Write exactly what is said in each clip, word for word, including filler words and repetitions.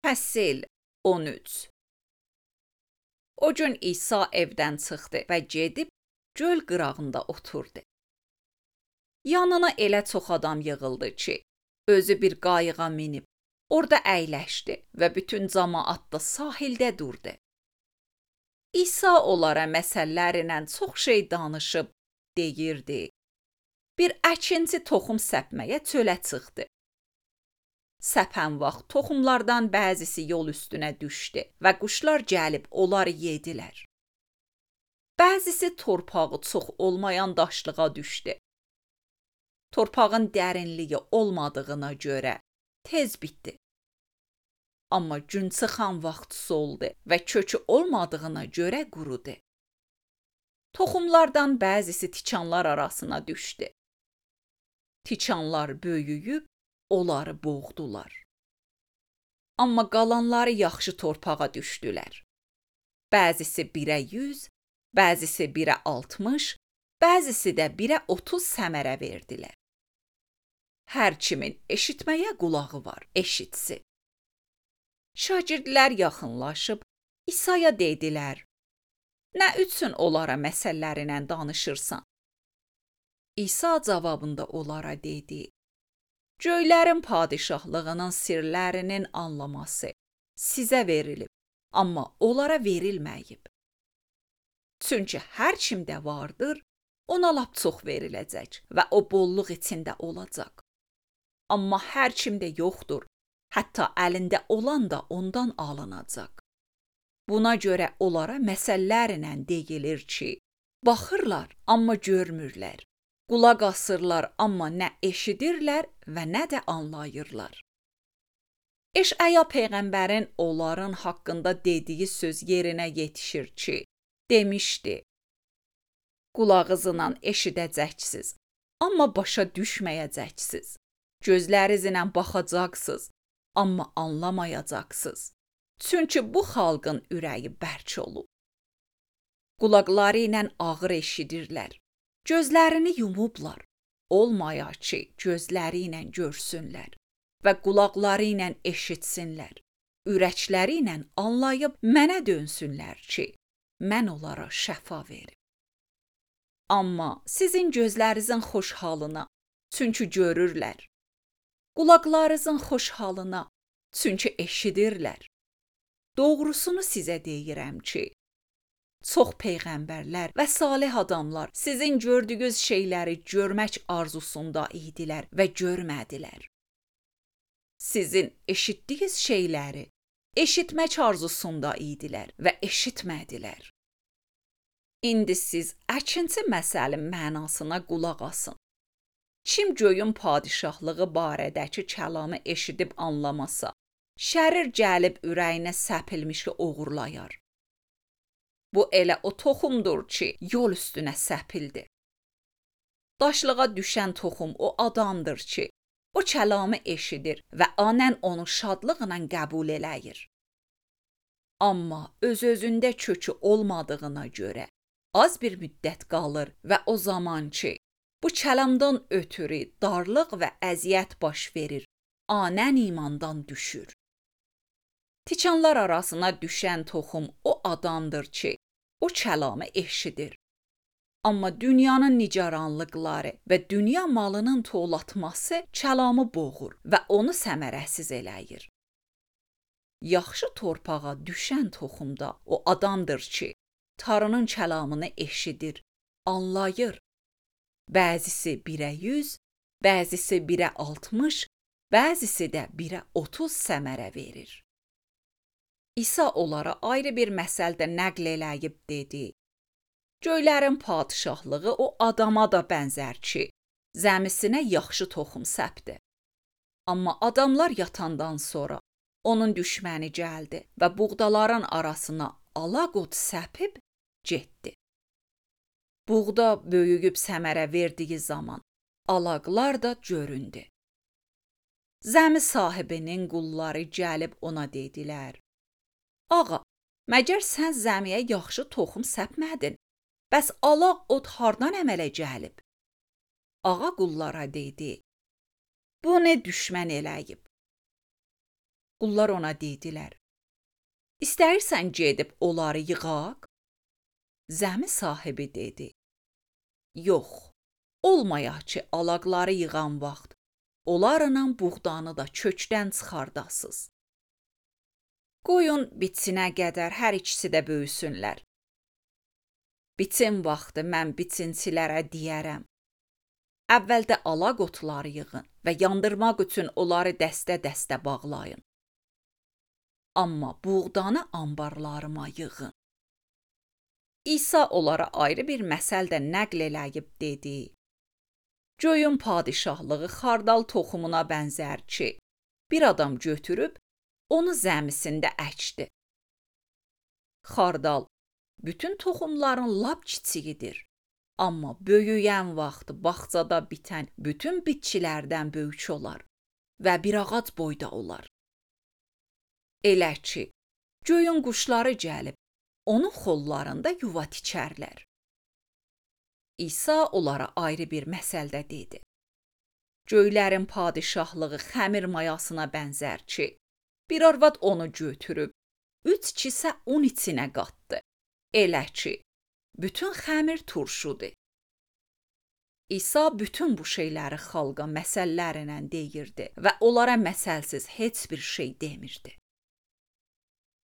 Fəsil on üç. O gün İsa evdən çıxdı və gedib göl qırağında oturdu. Yanına elə çox adam yığıldı ki, özü bir qayığa minib orada əyləşdi və bütün cəmaət də sahildə durdu. İsa onlara məsəllərlə çox şey danışıb deyirdi. Bir əkinçi toxum səpməyə çölə çıxdı. Səpən vaxt toxumlardan bəzisi yol üstünə düşdü və quşlar gəlib onları yedilər. Bəzisi torpağı çox olmayan daşlığa düşdü. Torpağın dərinliyi olmadığına görə tez bitdi. Amma gün çıxan vaxt soldu və kökü olmadığına görə qurudu. Toxumlardan bəzisi tikanlar arasına düşdü. Tikanlar böyüyüb onları boğdular. Amma qalanları yaxşı torpağa düşdülər. Bəzisi birə yüz, bəzisi birə altmış, bəzisi də birə otuz səmərə verdilər. Hər kimin eşitməyə qulağı var, eşitsin. Şagirdlər yaxınlaşıb İsa'ya dedilər: "Nə üçün onlara məsəllərinlə danışırsan?" İsa cavabında onlara dedi: "Göylərin padişahlığının sirlərinin anlaması sizə verilib, amma onlara verilməyib. Çünki hər kimdə vardır, ona lap çox veriləcək və o bolluq içində olacaq. Amma hər kimdə yoxdur, hətta əlində olan da ondan alınacaq. Buna görə onlara məsəllərlə deyilir ki, baxırlar, amma görmürlər. Qulaq asırlar, amma nə eşidirlər və nə də anlayırlar." Eşaya peyğəmbərin onların haqqında dediyi söz yerinə yetişir ki, demişdi: "Qulağınızla eşidəcəksiniz, amma başa düşməyəcəksiniz. Gözlərinizlə baxacaqsınız, amma anlamayacaqsınız. Çünki bu xalqın ürəyi bərk olub. Qulaqları ilə ağır eşidirlər. Gözlərini yumublar, olmaya ki, gözləri ilə görsünlər və qulaqları ilə eşitsinlər, ürəkləri ilə anlayıb mənə dönsünlər ki, mən onlara şəfa verim. Amma sizin gözlərinizin xoş halına, çünki görürlər, qulaqlarınızın xoş halına, çünki eşidirlər. Doğrusunu sizə deyirəm ki, çox peyğəmbərlər və salih adamlar sizin gördüyünüz şeyləri görmək arzusunda idilər və görmədilər. Sizin eşitdiyiniz şeyləri eşitmək arzusunda idilər və eşitmədilər. İndi siz əkinçi məsəlin mənasına qulaq asın. Kim göyün padişahlığı barədəki kəlamı eşidib anlamasa, şərir gəlib ürəyinə səpilmişi oğurlayar. Bu elə o toxumdur ki, yol üstünə səpildi. Daşlığa düşən toxum o adamdır ki, o kəlamı eşidir və anən onu şadlıqla qəbul eləyir. Amma öz-özündə kökü olmadığına görə az bir müddət qalır və o zaman ki, bu kəlamdan ötürü darlıq və əziyyət baş verir, anən imandan düşür. Tikanlar arasına düşən toxum o adamdır ki, o kəlamı eşidir. Amma dünyanın nigaranlıqları və dünya malının toğlatması kəlamı boğur və onu səmərəsiz eləyir. Yaxşı torpağa düşən toxumda o adamdır ki, Tanrının kəlamını eşidir, anlayır. Bəzisi birə yüz, bəzisi birə altmış, bəzisi də birə otuz səmərə verir. İsa onlara ayrı bir məsəldə nəql eləyib dedi: "Göylərin padişahlığı o adama da bənzər ki, zəmisinə yaxşı toxum səpdi. Amma adamlar yatandan sonra onun düşməni gəldi və buğdaların arasına alaqot səpib getdi. Buğda böyüyüb səmərə verdiyi zaman alaqlar da göründü. Zəmi sahibinin qulları gəlib ona dedilər: Ağa, məgər sən zəmiyə yaxşı toxum səpmədin? Bəs alaq ot hardan əmələ gəlib? Ağa qullara dedi: Bu nə düşmən eləyib? Qullar ona dedilər: "İstəyirsən gedib onları yığaq?" Zəmi sahibi dedi: "Yox, olmayaq ki, alaqları yığan vaxt onlarla buğdanı da kökdən çıxardasız. Qoyun bitsinə qədər hər ikisi də böyüsünlər. Biçin vaxtı mən biçinçilərə deyərəm: əvvəldə alaq otları yığın və yandırmaq üçün onları dəstə-dəstə bağlayın. Amma buğdanı anbarlarıma yığın." İsa onlara ayrı bir məsəl də nəql eləyib dedi: "Göyün padişahlığı xardal toxumuna bənzər ki, bir adam götürüb onu zəmisində əkdi. Xardal bütün toxumların lap kiçiyidir, amma böyüyən vaxt bağçada bitən bütün bitkilərdən böyük olar və bir ağac boyda olar. Elə ki, göyün quşları gəlib onun xollarında yuva tikərlər." İsa onlara ayrı bir məsəldə dedi: "Göylərin padişahlığı xəmir mayasına bənzər ki, bir arvad onu götürüb üç kisə un içinə qatdı. Elə ki, bütün xəmir turşudur." İsa bütün bu şeyləri xalqa məsəllərlə deyirdi və onlara məsəlsiz heç bir şey demirdi.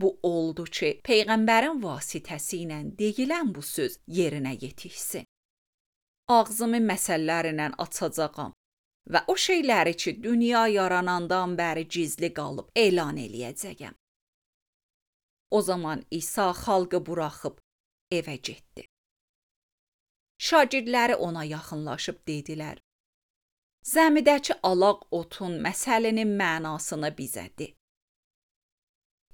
Bu oldu ki, Peyğəmbərin vasitəsi ilə deyilən bu söz yerinə yetişsin. "Ağzımı məsəllərlə açacağam və o şeyləri ki, dünya yaranandan bəri gizli qalıb elan eləyəcəyəm." O zaman İsa xalqı buraxıb evə getdi. Şagirdləri ona yaxınlaşıb dedilər: "Zəmidəki alaq otun məsəlinin mənasını bizə de."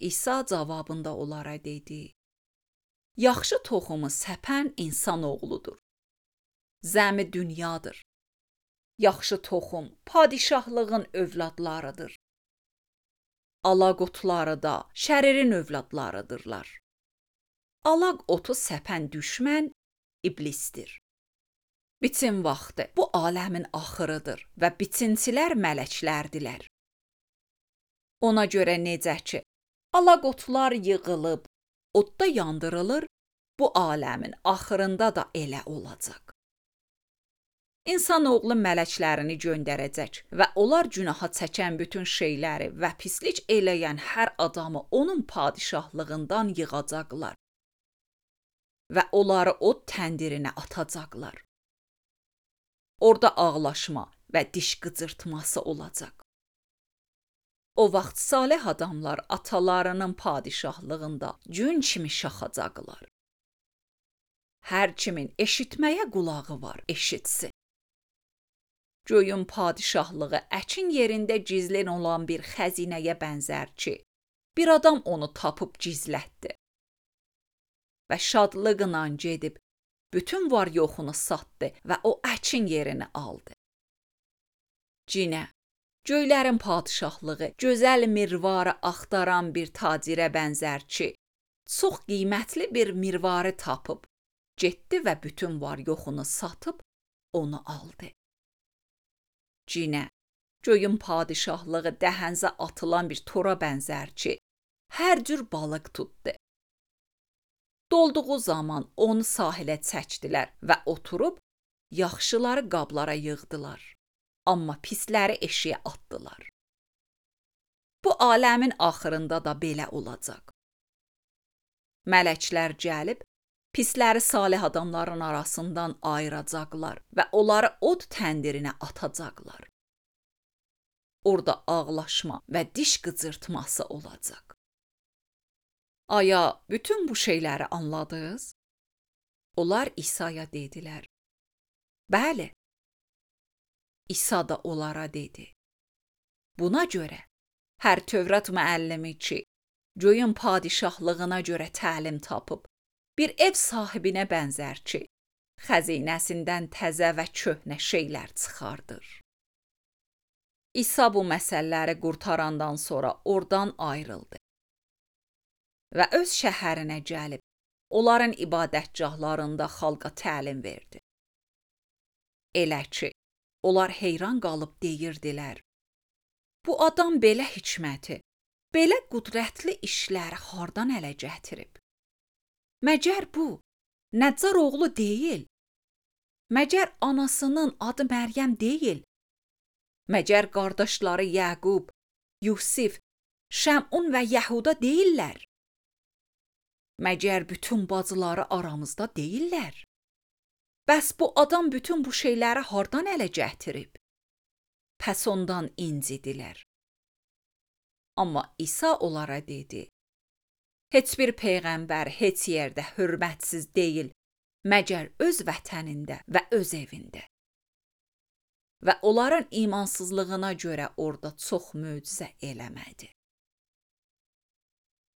İsa cavabında onlara dedi: "Yaxşı toxumu səpən insan oğludur. Zəmi dünyadır. Yaxşı toxum padişahlığın övladlarıdır. Alaq otları da şəririn övladlarıdırlar. Alaq otu səpən düşmən iblisdir. Biçin vaxtı bu aləmin axırıdır və biçinçilər mələklərdilər. Ona görə necə ki, alaq otlar yığılıb, odda yandırılır, bu aləmin axırında da elə olacaq. İnsanoğlu mələklərini göndərəcək və onlar günaha çəkən bütün şeyləri və pislik eləyən hər adamı onun padişahlığından yığacaqlar və onları od təndirinə atacaqlar. Orada ağlaşma və diş qıcırtması olacaq. O vaxt salih adamlar atalarının padişahlığında gün kimi şaxacaqlar. Hər kimin eşitməyə qulağı var, eşitsin. Göyün padişahlığı əkin yerində gizlin olan bir xəzinəyə bənzər ki, bir adam onu tapıb gizlətdi və şadlıqla gedib bütün var yoxunu satdı və o əkin yerini aldı. Cinə, göylərin padişahlığı gözəl mirvarı axtaran bir tacirə bənzər ki, çox qiymətli bir mirvarı tapıb, getdi və bütün var yoxunu satıb onu aldı. Cinə, göyün padişahlığı dəhənzə atılan bir tora bənzər ki, hər cür balıq tutdu. Dolduğu zaman onu sahilə çəkdilər və oturub yaxşıları qablara yığdılar, amma pisləri eşiyə atdılar. Bu aləmin axırında da belə olacaq. Mələklər gəlib, pisləri salih adamların arasından ayıracaqlar və onları od təndirinə atacaqlar. Orada ağlaşma və diş qıcırtması olacaq. Aya, bütün bu şeyləri anladınız? Onlar İsa'ya dedilər: "Bəli." İsa da onlara dedi: "Buna görə hər Tövrat müəllimi ki, göyün padişahlığına görə təlim tapıb, bir ev sahibinə bənzər ki, xəzinəsindən təzə və köhnə şeylər çıxardır." İsa bu məsələləri qurtarandan sonra oradan ayrıldı və öz şəhərinə gəlib, onların ibadətgahlarında xalqa təlim verdi. Elə ki, onlar heyran qalıb deyirdilər: "Bu adam belə hikməti belə qüdrətli işləri hardan ələ gətirib? Məgər bu Nəccar oğlu deyil? Məgər anasının adı Məryəm deyil? Məgər qardaşları Yəqub, Yusif, Şəmun və Yəhuda deyillər? Məgər bütün bacıları aramızda deyillər? Bəs bu adam bütün bu şeyləri hardan ələ gətirib? Pəs ondan incidilər. Amma İsa onlara dedi: Heç bir peyğəmbər heç yerdə hörmətsiz deyil, məgər öz vətənində və öz evində. Və onların imansızlığına görə orada çox möcüzə eləmədi.